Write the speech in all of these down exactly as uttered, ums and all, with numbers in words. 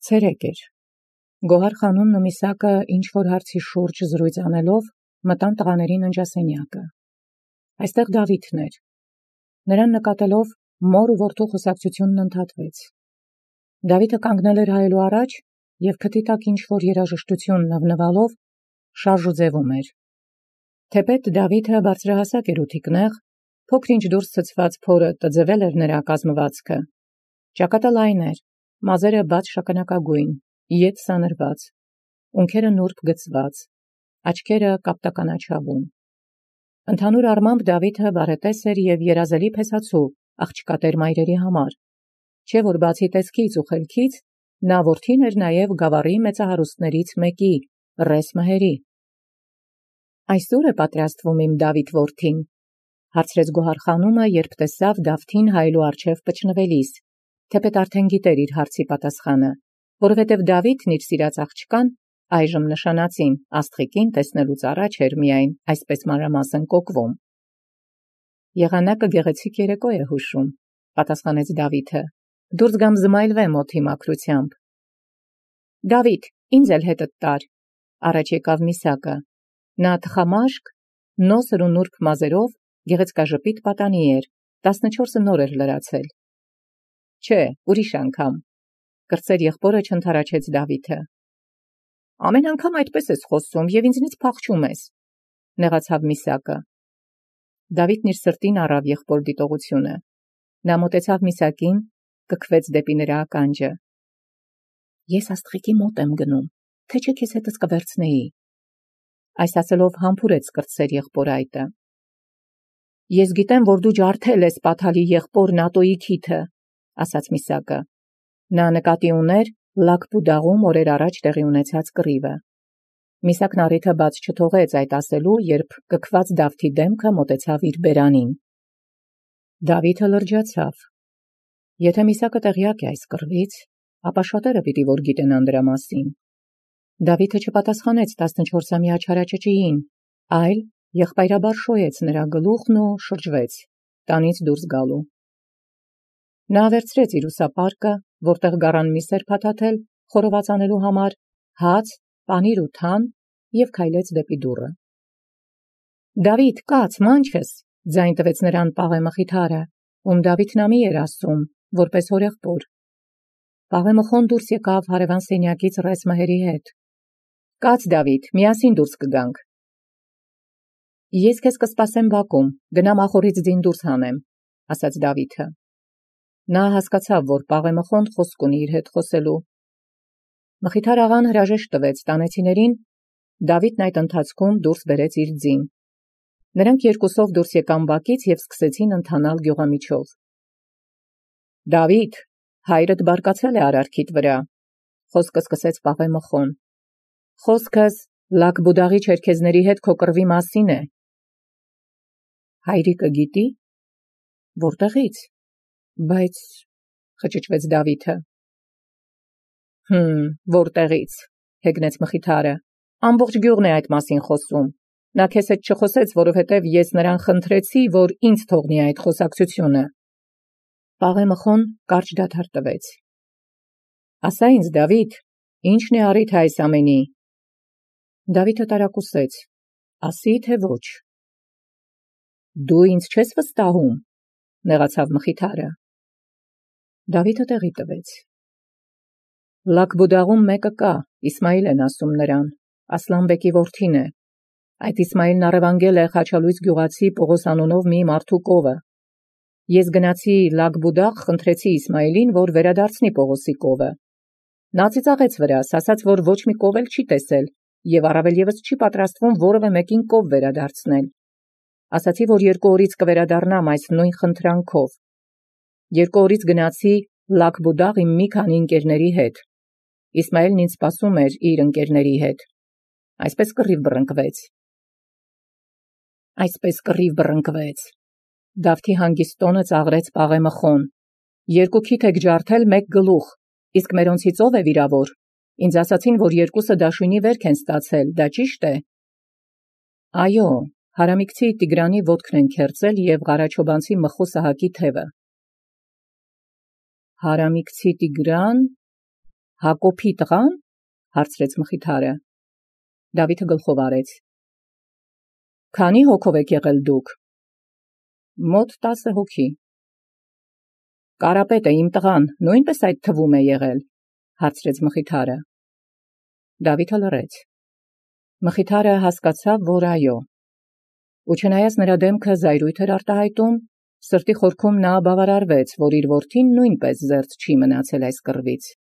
Ցերեկ էր։ Գոհար խանումն ու Միսակը ինչ-որ հարցի շուրջ զրույց անելով մտան տղաների ննջասենյակը։ Այստեղ Դավիթն էր։ Նրան նկատելով մոր ու որդու խոսակցությունն ընդհատվեց։ Դավիթը կանգնել էր հայելու առաջ և քթի տակ ինչ-որ երաժշտություն նվնվալով շարժուձևում էր։ Թեպետ Դավիթը բարձրահասակ էր ու թիկնեղ, փոքր-ինչ դուրս ցցված փորը տձվել էր նրա կազմվածքը։ Ճակատը լայն էր, մազերը բաց շագանակագույն, ետ սանրված, ունքերը նուրբ գծված, աչքերը կապտականաչավուն։ Ընդհանուր առմամբ Դավիթը բարետես էր և երազելի փեսացու աղջկատեր մայրերի համար, չէ որ բացի տեսքից ու խելքից նա որդին էր նաև գավառի մեծահարուստներից մեկի, Ռես Մհերի։ Այսօր է պատրաստվում իմ Դավիթ որդին, հարցրեց Գոհար խանումը, երբ տեսավ Դավթին հայելու առջև պճնվելիս, թեպետ արդեն գիտեր իր հարցի պատասխանը, որովհետև Դավիթն իր սիրած աղջկան այժմ նշանածին աստղիկին տեսնելուց առաջ էր միայն այսպես մանրամասն կոկվում։ Եղանակը գեղեցիկ երեկո է հուշում, պատասխանեց Դավիթը, դուրս գամ զմայլվեմ օդի մաքրությամբ։ Դավիթ, ինձ էլ հետդ տար, առաջ եկավ Միսակը, նա թխամաշկ, նոսր ու նուրբ մազերով, գեղեցկաժպիտ պատանի էր, տասնչորսը նոր էր լրացել։ Չէ, ուրիշ անգամ, կրտսեր եղբորը չընդառաջեց Դավիթը։ Ամեն անգամ այդպես ես խոսում և ինձնից փախչում ես, նեղացավ Միսակը։ Դավիթն իր սրտին առավ եղբոր դիտողությունը։ Նա մոտեցավ Միսակին, կքվեց դեպի նրա ականջը։ Ես աստղիկի մոտ եմ գնում, թե չէ քեզ հետս կվերցնեի։ Այս ասելով համբուրեց կրտսեր եղբոր այտը։ Ես գիտեմ, որ դու ջարդել ես պատահալի եղբոր Նատոյի քիթը, ասաց Միսակը։ Նա նկատի ուներ Լակբուդաղում օրեր առաջ տեղի ունեցած կռիվը։ Միսակն առիթը բաց չթողեց այդ ասելու, երբ կքված Դավթի դեմքը մոտեցավ իր բերանին։ Դավիթը լրջացավ։ Եթե Միսակը տեղյակ է այս կռվից, ապա շատերը պիտի որ գիտենան դրա մասին։ Դավիթը չպատասխանեց տասնչորսամյա չարաճճիին, այլ եղբայրաբար շոյեց նրա գլուխն ու շրջվեց, տանից դուրս գալու։ Նա վերցրեց իր ուսապարկը, որտեղ գառան միս էր փաթաթել, խորոված անելու համար, հաց, պանիր ու թան և քայլեց դեպի դուռը։ Դավիթ, կաց, մանչես, ձայն տվեց նրան Պաղե Մխիթարը, ում Դավիթն ամի էր ասում, որպես հորեղբոր։ Պաղե Մխոն դուրս եկավ հարևան սենյակից Ռես Մհերի հետ։ Կաց Դավիթ, միասին դուրս կգանք։ Ես քեզ կսպասեմ բակում, գնամ ախորից ձին դուրս հանեմ, ասաց Դավիթը։ Նա հասկացավ, որ Պաղե Մխոն խոսք ունի իր հետ խոսելու։ Մխիթար աղան հրաժեշտ տվեց տանեցիներին, Դավիթն այդ ընթացքում դուրս բերեց իր ձին։ Նրանք երկուսով դուրս եկան բակից և սկսեցին ընթանալ գյուղամիջով։ Դավիթ, հայրդ բարկացել է արարքիդ վրա, խոսքը սկսեց Պաղե Մխոն։ Խոսքս Լակբուդաղի չերքեզների հետ քո կռվի մասին է։ Հայրիկը գիտի։ Որտեղից։ Բայց խճճվեց Դավիթը։ Հմ, որտեղից, հեգնեց Մխիթարը։ Ամբողջ գյուղն է այդ մասին խոսում։ Նա քեզ հետ չխոսեց, որովհետև ես նրան խնդրեցի, որ ինձ թողնի այդ խոսակցությունը։ Պաղե Մխոն կարճ դադար տվեց։ Ասա ինձ, Դավիթ, ի՞նչն է առիթը այս ամենի։ Դավիթը տարակուսեց։ Ասի, թե ոչ։ Դու ինձ չես վստահում, նեղացավ Մխիթարը։ Դավիթը տեղի տվեց։ Լակբուդաղում մեկը կա, Իսմայիլ են ասում նրան, Ասլանբեկի որդին է։ Այդ Իսմայիլն առևանգել է Խաչալույս գյուղացի Պողոս անունով մի մարդու կովը։ Ես գնացի Լակբուդաղ, խնդրեցի Իսմայիլին, որ վերադարձնի Պողոսի կովը։ Նա ծիծաղեց վրաս, ասաց, որ ոչ մի կով էլ չի տեսել և առավել ևս չի պատրաստվում որևէ մեկին կով վերադարձնել։ Ասացի, որ երկու օրից կվերադառնամ այս նույն խնդրանքով։ Երկու օրից գնացի Լակբուդաղ իմ մի քանի ընկերների հետ։ Իսմայիլն ինձ սպասում էր իր ընկերների հետ։ Այսպես կռիվ բռնկվեց։ Այսպես կռիվ բռնկվեց։ Դավթի հանգիստ տոնը ծաղրեց Պաղե Մխոն։ Երկու քիթ եք ջարդել մեկ գլուխ, իսկ մերոնցից ով է վիրավոր։ Ինձ ասացին, որ երկուսը դաշույնի վերք են ստացել, դա ճիշտ է։ Այո, Հարամիկցի Տիգրանի ոտքն են քերծել և Ղարաչոբանցի Մխու Սահակի թևը։ Հարամիկցի Տիգրան, Հակոբի տղան, հարցրեց Մխիթարը։ Դավիթը գլխով արեց։ Քանի հոգով եք եղել դուք։ Մոտ տասը հոգի։ Կարապետը իմ տղան նույնպես այդ թվում է եղել, հարցրեց Մխիթարը։ Դավիթը լռեց։ Մխիթարը հասկացավ, որ այո։ Ու չնայած նրա դեմքը զայրույթ էր արտահայտում, սրտի խորքում նա բավարարվեց, որ իր որդին նույնպես զերծ չի մնացել այս կռվից։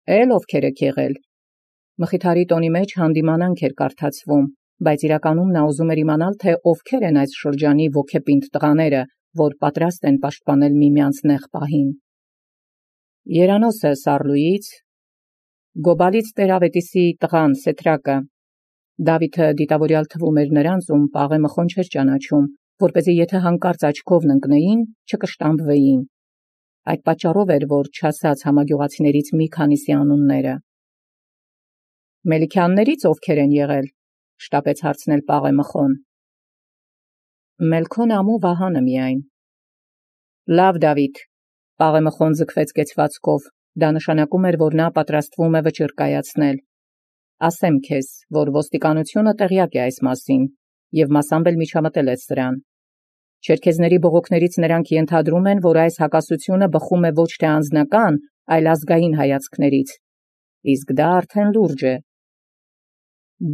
Էլ ովքեր եք եղել։ Մխիթարի տոնի մեջ հանդիմանանք էր կարդացվում, բայց իրականում նա ուզում էր իմանալ, թե ովքեր են այս շրջանի ոգեպինդ տղաները, որ պատրաստ են պաշտպանել միմյանց նեղ պահին։ Երանոսը Սառլուից, Գոբալից Տերավետիսի տղան Սեթրակը։ Դավիթը դիտավորյալ թվում էր նրանց, ում Պաղե Մխոն չէր ճանաչում, որպեսզի եթե հանկարծ աչքովն ընկնեին, չկշտամբվեին։ Այդ պատճառով էր, որ չասաց համագյուղացիներից մի քանիսի անունները։ Մելիքյաններից ովքեր են եղել, շտապեց հարցնել Պաղե Մխոն։ Մելքոն ամու Վահանը միայն։ Լավ Դավիթ, Պաղե Մխոն ձգվեց կեցվածքով, դա նշանակում էր, որ նա պատրաստվում է վճիռ կայացնել։ Ասեմ քեզ, որ ոստիկանությունը տեղյակ է այս մասին, և մասամբ էլ միջամտել է սրան։ Չերքեզների բողոքներից նրանք ենթադրում են, որ այս հակասությունը բխում է ոչ թե անձնական, այլ ազգային հայացքներից։ Իսկ դա արդեն լուրջ է։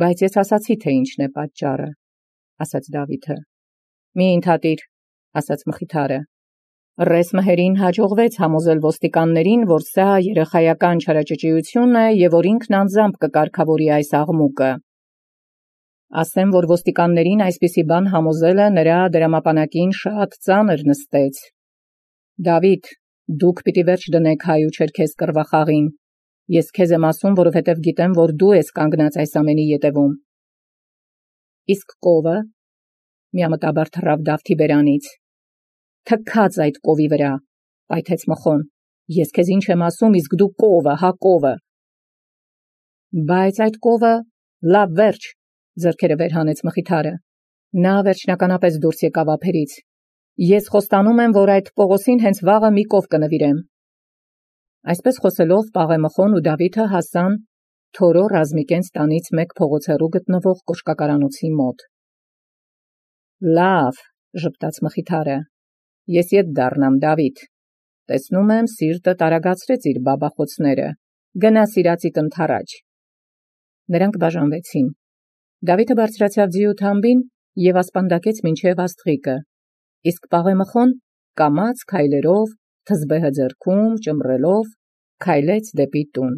Բայց ես ասացի, թե ինչն է պատճառը, ասաց Դավիթը։ Մի ընդհատիր, ասաց Մխիթարը։ Ռես մհերին հաջողվեց համոզել ոստիկաններին, որ սա երեխայական չարաճճիություն է և որ ինքն անձամբ կկարգավորի այս աղմուկը։ Ասեմ, որ ոստիկաններին այսպիսի բան համոզելը նրա դրամապանակին շատ ծանր նստեց։ Դավիթ, դուք պիտի վերջ դնեք հայ ու չերքեզ կռվախաղին։ Ես քեզ եմ ասում, որովհետև գիտեմ, որ դու ես կանգնած այս ամենի ետևում։ Իսկ կովը, միամտաբար թռավ Դավթի բերանից։ Թքած այդ կովի վրա, պայթեց Մխոն։ Ես քեզ ինչ եմ ասում, իսկ դու կովը, հա կովը։ Բայց այդ կովը, լավ վերջ, ձեռքերը վեր հանեց Մխիթարը։ Նա վերջնականապես դուրս եկավ ափերից։ Ես խոստանում եմ, որ այդ Պողոսին հենց վաղը մի կով կնվիրեմ։ Այսպես խոսելով Պաղե Մխոն ու Դավիթը հասան Թորո Ռազմիկենց տանից մեկ փողոց հեռու գտնվող կոշկակարանոցի մոտ։ Լավ, ժպտաց Մխիթարը, ես ետ դառնամ Դավիթ։ Տեսնում եմ սիրտը տարագացրեց իր բաբախոցները։ Գնա սիրածիդ ընթառաջ։ Նրանք բաժանվեցին։ Դավիթը բարձրացավ ձիու թամբին և ասպանդակեց մինչև աստղիկը, իսկ Պաղե Մխոն կամաց քայլերով, թզբեհը ձեռքում, ճմռելով, քայլեց դեպի տուն։